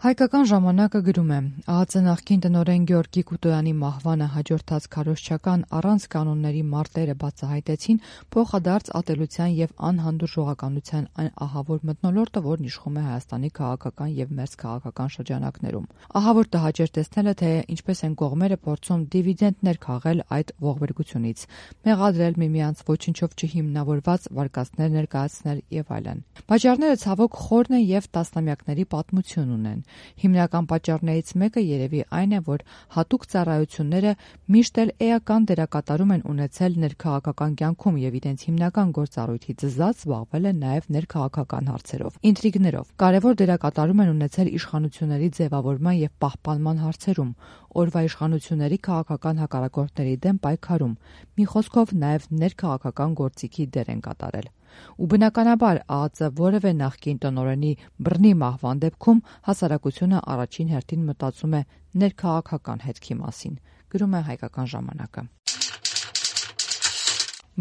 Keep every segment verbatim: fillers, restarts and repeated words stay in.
Հայկական ժամանակը գրում է. ԱԱԾ նախկին տնօրեն Գեորգի Կուտոյանի մահվանը հաջորդած քարոզչական առանց կանոնների մարտերը բացահայտեցին փոխադարձ ատելության եւ անհանդուրժողականության այն ահավոր մթնոլորտը, որն իշխում է Հայաստանի քաղաքական եւ մերձքաղաքական շրջանակներում։ Ահավոր տհաճ էր տեսնելը, թե ինչպես են կողմերը փորձում դիվիդենտներ քաղել այդ ողբերգությունից, մեղադրել միմյանց, ոչնչով չհիմնավորված վարկածներ ներկայացնել եւ այլն։ Պատճառները ցավոք խորն են եւ տասնամյակների պատմություն ունեն։ Հիմնական պատճառներից մեկը երևի այն է, որ հատուկ ծառայությունները միշտ էլ էական դերակատարում են ունեցել ներքաղաքական կյանքում եւ իրենց հիմնական գործառույթից զզած զբաղվել են նաեւ ներքաղաքական հարցերով, ինտրիգներով։ Կարևոր դերակատարում են ունեցել իշխանությունների ձևավորման եւ պահպանման հարցերում, օրվա իշխանությունների քաղաքական հակառակորդների դեմ պայքարում, մի խոսքով նաեւ ներքաղաքական գործիքի դեր են կատարել։ Ու բնականաբար ԱԱԾ որևէ նախկին տնօրենի բռնի մահվան դեպքում հասարակությունը առաջին հերթին մտածում է ներքաղաքական հետքի մասին, գրում է Հայկական ժամանակը։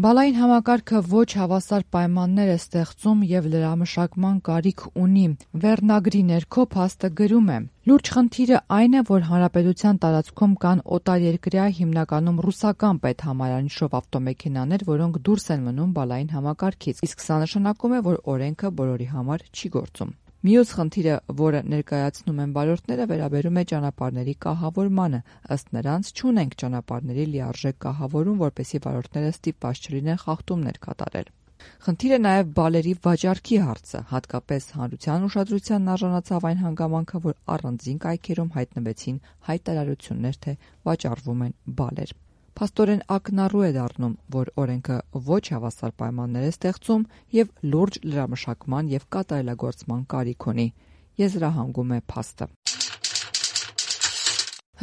Բալային համակարգը ոչ հավասար պայմաններ է ստեղծում եւ լրամշակման կարիք ունի։ Վերնագրի ներքո փաստը գրում է. Լուրջ խնդիրը այն է, որ հանրապետության տարածքում կան օտարերկրյա, հիմնականում ռուսական պետհամարանիշով ավտոմեքենաներ, որոնք դուրս են մնում բալային համակարգից, իսկ սա նշանակում է, որ օրենքը բոլորի համար չի գործում։ Մյուս խնդիրը, որը ներկայացնում են վարորդները, վերաբերում է ճանապարհների կահավորմանը։ Ըստ նրանց չունենք ճանապարհների լիարժեք կահավորում, որպեսզի վարորդները ստիպված չլինեն խախտումներ կատարել։ Խնդիրը նաև բալերի վաճառքի հարցը, հատկապես հանրության ուշադրությանն արժանացավ այն հանգամանքը, որ առանձին կայքերում հայտնվեցին հայտարարություններ, թե վաճառվում են բալեր։ Փաստորեն ակնառու է դառնում, որ օրենքը ոչ հավասար պայմաններ է ստեղծում եւ լուրջ լրամշակման եւ կատարելագործման կարիք ունի, եզրահանգում է փաստը։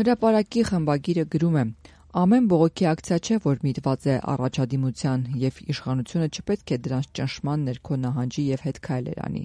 Հրապարակի խմբագիրը գրում է. Ամեն բողոքի ակցիա չէ, որ միտված է առաջադիմության, եւ իշխանությունը չպետք է դրանց ճնշման ներքո նահանջի եւ հետ քայլեր անի։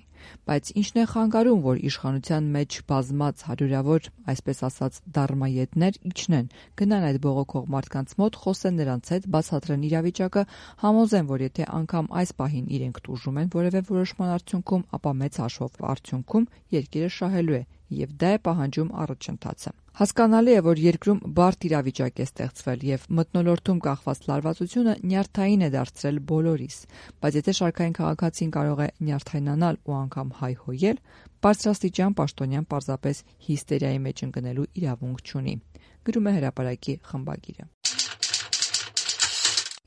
Բայց ինչն է խանգարում, որ իշխանության մեջ բազմած հարյուրավոր, այսպես ասած, դարմայետներ իջնեն, գնան այդ բողոքող մարդկանց մոտ, խոսեն նրանց հետ, բացատրեն իրավիճակը, համոզեն, որ եթե անգամ այս պահին իրենք տուժում են որևէ որոշման արդյունքում, ապա մեծ հաշվով արդյունքում երկիրը շահելու է, եւ դա է պահանջում առաջընթացը։ Հասկանալի է, որ երկրում բարդ իրավիճակ է ստեղծվել եւ մթնոլորտում կախված լարվածությունը նյարդային է դարձրել բոլորիս, բայց եթե շարքային քաղաքացին կարող է նյարդայնանալ ու անգամ հայհոյել, բարձրաստիճան պաշտոնյան պարզապես հիստերիայի մեջ ընկնելու իրավունք չունի, գրում է Հրապարակի խմբագիրը։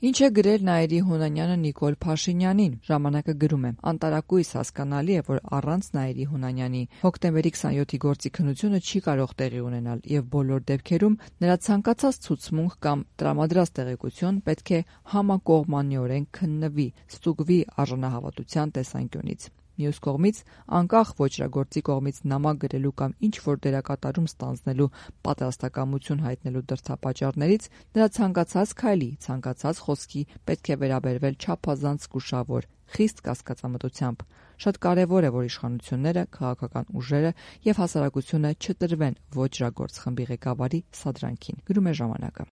Ինչ է գրել Նաիրի Հունանյանը Նիկոլ Փաշինյանին, ժամանակը գրում է. Անտարակույս հասկանալի է, որ առանց Նաիրի Հունանյանի հոկտեմբերի քսանյոթի գործի քննությունը չի կարող տեղի ունենալ եւ բոլոր դեպքերում նրա ցանկացած ցուցմունք կամ տրամադրած տեղեկություն պետք է համակողմանիորեն քննվի, ստուգվի արժանահավատության տեսանկյունից։ Մյուս կողմից, անկախ ոճրագործի կողմից նամակ գրելու կամ ինչ-որ դերակատարում ստանձնելու պատրաստակամություն հայտնելու դրդապատճառներից, նրա ցանկացած քայլի, ցանկացած խոսքի պետք է վերաբերվել չափազանց զգուշավոր, խիստ կասկածամտությամբ։ Շատ կարևոր է, որ իշխանությունները, քաղաքական ուժերը եւ հասարակությունը չտրվեն ոճրագործ խմբի ղեկավարի սադրանքին, գրում է ժամանակը։